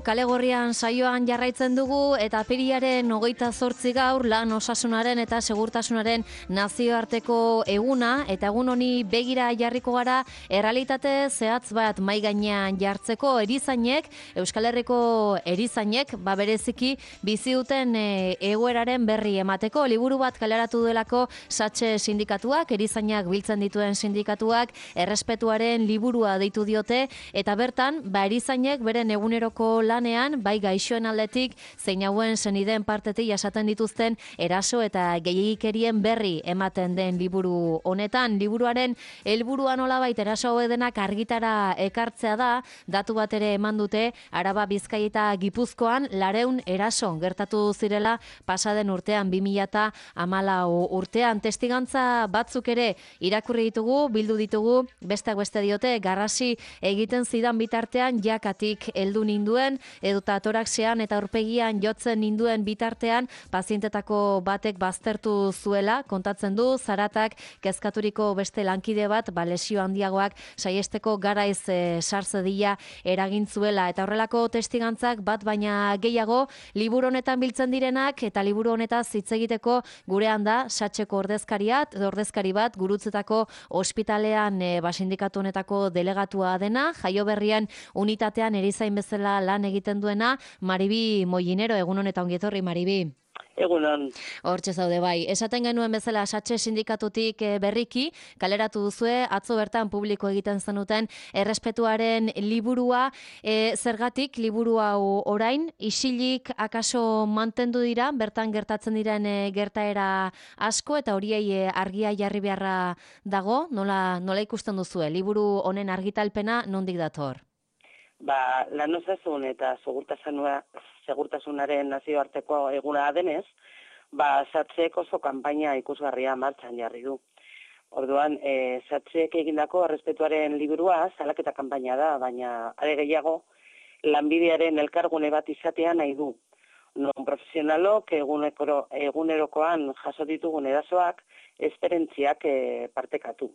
Kale Gorrian saioan jarraitzen dugu eta apirilaren 28 gaur lan osasunaren eta segurtasunaren nazioarteko eguna eta egun honi begira jarriko gara errealitate zehatz bat mahai gainean jartzeko erizainek, Euskal Herriko erizainek, bereziki bizi duten egoeraren berri emateko liburu bat kaleratu delako Satxe sindikatuak, erizainak biltzen dituen sindikatuak, errespetuaren liburua deitu diote eta bertan erizainek beren eguneroko lanean, bai gaixoen aldetik, zein hauen senideen partetik jasaten dituzten eraso eta gehiegikerien berri ematen den liburu honetan. Liburuaren helburua nolabait eraso hauedenak argitara ekartzea da, datu bat ere eman dute, Araba, Bizkaia eta Gipuzkoan 400 eraso gertatu zirela pasaden urtean, 2014 urtean. Testigantza batzuk ere irakurri ditugu, bildu ditugu, besteak beste diote, garrasi egiten zidan bitartean jakatik heldu ninduen, edota toraxean eta aurpegian jotzen ninduen bitartean pazientetako batek baztertu zuela, kontatzen du, zaratak kezkaturiko beste lankide bat, lesio handiagoak saiesteko garaiz sarzedila eragin zuela, eta horrelako testigantzak bat baina gehiago liburu honetan biltzen direnak, eta liburu honetaz hitz egiteko gurean da Satxeko ordezkari bat Gurutzetako ospitalean sindikatu honetako delegatua dena, Jaioberrian unitatean erizain bezala lan egiten duena, Maribi Molinero. Egun honetan ongi etorri, Maribi. Egunon. Hortxe zaude bai. Esaten genuen bezala Satxe sindikatutik berriki, kaleratu duzue, atzo bertan publiko egiten zenuten errespetuaren liburua, zergatik liburu hau orain, isilik akaso mantendu dira, bertan gertatzen diren gertaera asko, eta horiei argia jarri beharra dago, nola ikusten duzue, liburu honen argitalpena nondik dator? Lan osasun eta segurtasunaren nazioarteko eguna denez, Satxek oso kanpaina ikusgarria martxan jarri du. Orduan, Satxek egindako errespetuaren liburua salaketa kanpaina da, baina are gehiago lanbidearen elkargune bat izatea nahi du. Non profesionalok egunerokoan jaso ditugun erasoak, esperentziak partekatu.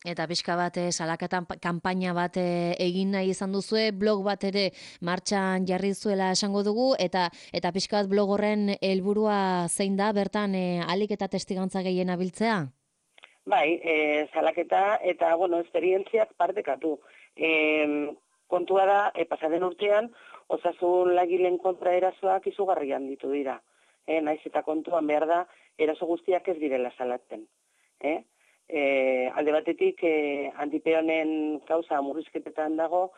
Eta pixka bat salaketan kanpaina bat egin nahi izan duzue, blog bat ere martxan jarri zuela esango dugu, eta pixka bat blog horren helburua zein da, bertan ahalik eta testigantza gehien abiltzea? Bai, salaketa eta, esperientziak partekatu. Kontua da, pasaden urtean, osasun lagileen kontra erasoak izugarrian ditu dira. Naiz eta kontuan behar da, eraso guztiak ez direla salatzen. Alde batetik antipeonen kauza murrizketetan dago,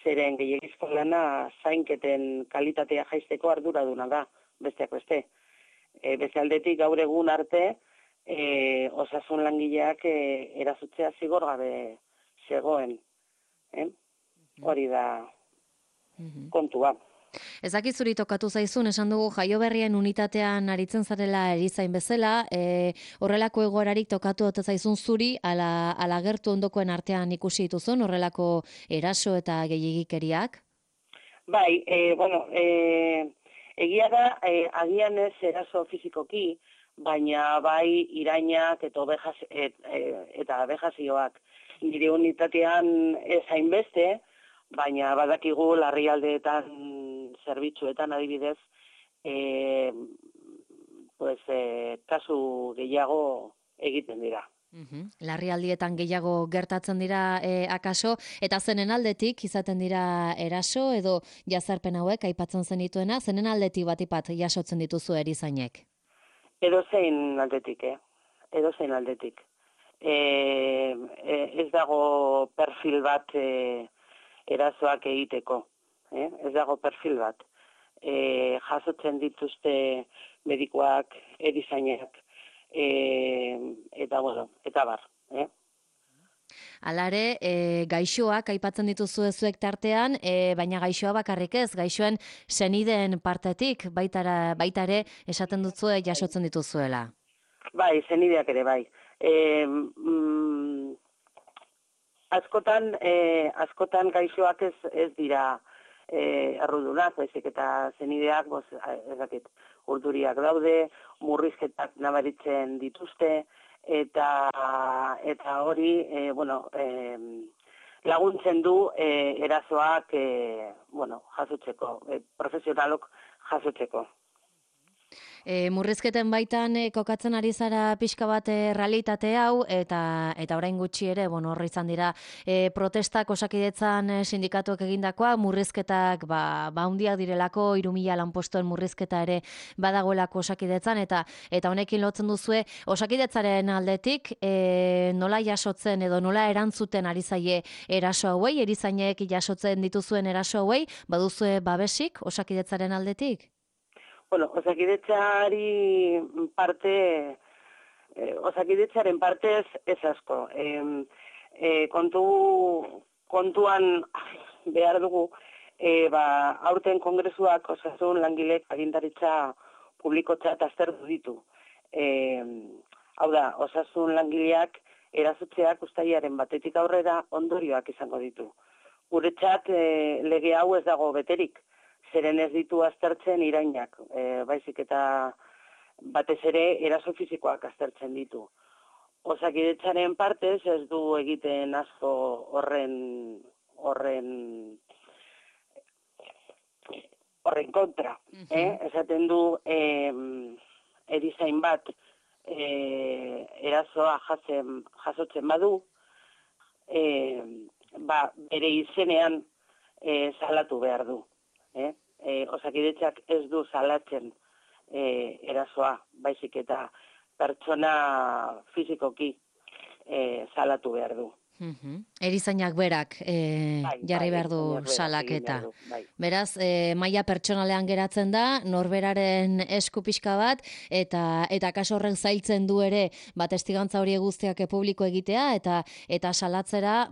zeren gehiagizko lana zainketen kalitatea jaisteko arduraduna da, besteak beste. Beste aldetik gaur egun arte, osasun langileak erasotzea zigor gabe zegoen. Hori da kontua. Ezakit zuri tokatu zaizun, esan dugu Jaioberrien unitatean aritzen zarela erizain bezala, horrelako egoerarik tokatu ote zaizun zuri, ala gertu ondokoen artean ikusi dituzun, horrelako eraso eta gehiagikeriak? Bai, egia da, agian ez eraso fizikoki, baina bai irainak eta abejazioak. Nire unitatean ez hainbeste, baina badakigu larrialdeetan zerbitzuetan adibidez, kasu gehiago egiten dira. Larrialdietan gehiago gertatzen dira akaso, eta zenen aldetik izaten dira eraso edo jazarpen hauek aipatzen zenituena, zenen aldetik batipat jasotzen dituzu erizainek? Edozein aldetik, edozein aldetik. Ez dago perfil bat erasoak egiteko, ez dago perfil bat. Jasotzen dituzte medikuak, erizainak, eta bar. Alare, gaixoak aipatzen dituzu zuek tartean, baina gaixoa bakarrik ez, gaixoen senideen partetik, baita ere esaten dutzue jasotzen dituzuela. Bai, senideak ere bai. Askotan gaixoak ez dira errudunak, baizik eta zenideak, urduriak daude, murrizketak nabaritzen dituzte, eta hori, laguntzen du erasoak jasotzeko, profesionalok jasotzeko. Murrizketen baitan kokatzen ari zara pixka bat realitate hau, eta orain gutxi ere, hor izan dira protestak Osakidetzan sindikatuak egindakoa, murrizketak handiak direlako, 3.000 lanpostuen murrizketa ere badagoelako Osakidetzan, eta honekin lotzen duzue Osakidetzaren aldetik nola jasotzen edo nola erantzuten ari zaie eraso hauei, erizainek jasotzen dituzuen eraso hauei, baduzue babesik Osakidetzaren aldetik? Osakidetzaren partez ez asko. Kontuan behar dugu, aurten kongresuak osasun langilek agintaritza publikotzat aztertu ditu. Hau da, osasun langileak erasotzeak uztailaren batetik aurrera ondorioak izango ditu. Guretzat lege hau ez dago beterik. Zeren ez ditu aztertzen irainak, baizik eta batez ere eraso fisikoak aztertzen ditu. Osakidetzaren partez ez du egiten asko horren kontra. Esaten du erizain bat erasoa jasotzen badu, bere izenean salatu behar du. Osakidetzak ez du salatzen erasoa, baizik eta pertsona fizikoki salatu behar du. Erizainak berak jarri behar du salaketa. Beraz, maila pertsonalean geratzen da, norberaren esku pixka bat, eta kaso horren zailtzen du ere, testigantza hori guztiak publiko egitea, eta salatzera,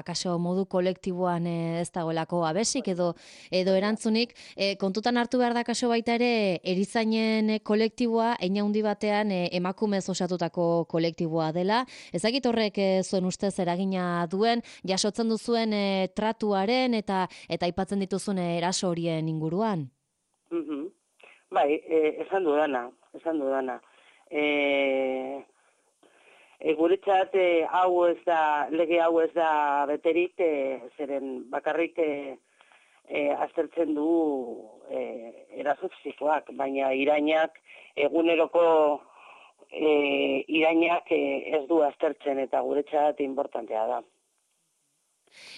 kaso modu kolektiboan ez dagoelako abesik edo erantzunik. Kontutan hartu behar da kaso baita ere, erizainen kolektiboa, hein handi batean emakumez osatutako kolektiboa dela. Ezakit horrek zuen ustez eragina duen, jasotzen duzuen tratuaren eta aipatzen dituzuen eraso horien inguruan? Bai, esan dudana. Guretzat lege hau ez da beterik, zeren bakarrik aztertzen du eraso fisikoak, baina irainak eguneroko irainak ez du aztertzen eta guretzat importantea da.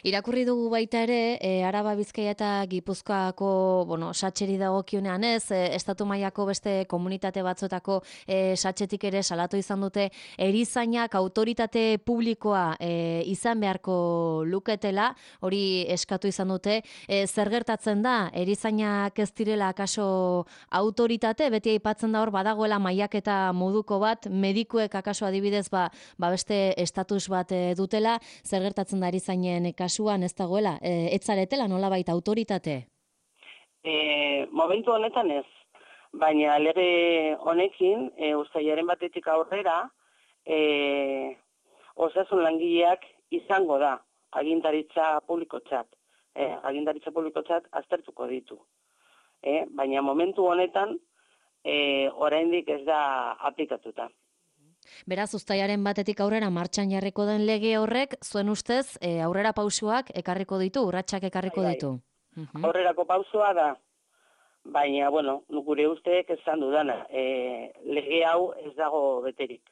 Irakurri dugu baita ere, Araba, Bizkaia eta Gipuzkoako, satxeri dagokionean ez, estatu mailako beste komunitate batzuetako satxetik ere salatu izan dute, erizainak autoritate publikoa izan beharko luketela, hori eskatu izan dute. Zer gertatzen da, erizainak ez direla akaso autoritate, beti aipatzen da hor badagoela mailaketa moduko bat, medikuek akaso adibidez beste estatus bat dutela, zer gertatzen da erizainen kasuan ez dagoela, ez zaretela nolabait autoritate? Momentu honetan ez, baina lege honekin, uztailaren batetik aurrera, osasun langileak izango da agintaritza publikotzat. Agintaritza publikotzat aztertuko ditu. Baina momentu honetan, oraindik ez da aplikatuta. Beraz, uztailaren batetik aurrera martxan jarriko den lege horrek, zuen ustez, aurrera pausuak ekarriko ditu, urratsak ekarriko ditu. Aurrerako pausua da, baina, gure usteek esan dudana, lege hau ez dago beterik,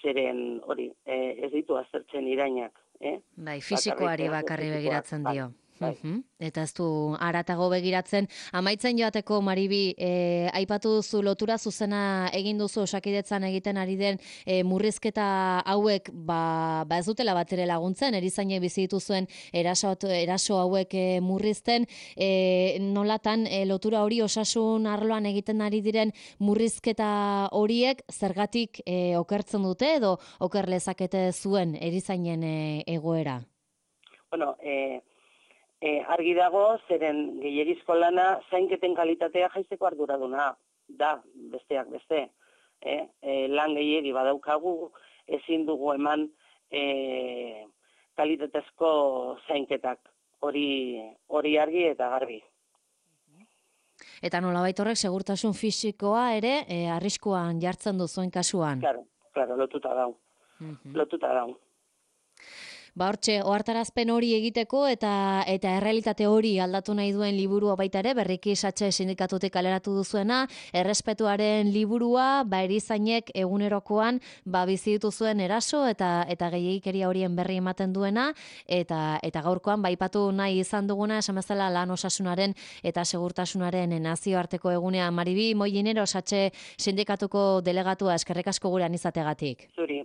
zeren hori, ez ditu aztertzen irainak. Bai, fisikoari bakarri begiratzen dio. Eta ez du haratago begiratzen. Amaitzen joateko, Maribi, aipatu duzu lotura zuzena egin duzu Osakidetzan egiten ari den murrizketa hauek ez dutela bat ere laguntzen, erizainek bizi dituzuen eraso hauek murrizten, nolatan lotura hori osasun arloan egiten ari diren murrizketa horiek zergatik okertzen dute edo oker lezakete zuen erizainen egoera? Argi dago, zeren gehiegizko lana zainketen kalitatea jaisteko arduraduna da, besteak beste. Lan gehiegi badaukagu, ezin dugu eman kalitatezko zainketak, hori argi eta garbi. Eta nolabait horrek segurtasun fisikoa ere arriskuan jartzen du zuen kasuan? Claro, lotuta dau. Hortxe, ohartarazpen hori egiteko eta errealitate hori aldatu nahi duen liburua baita ere, berriki satxe sindikatutik kaleratu duzuena, errespetuaren liburua, erizainek egunerokoan bizi dituzuen eraso eta gehiegikeria horien berri ematen duena, eta gaurkoan aipatu nahi izan duguna, esan bezala lan osasunaren eta segurtasunaren nazioarteko egunea. Maribi Molinero, satxe sindikatuko delegatua, eskerrik asko gurean izategatik. Zuri.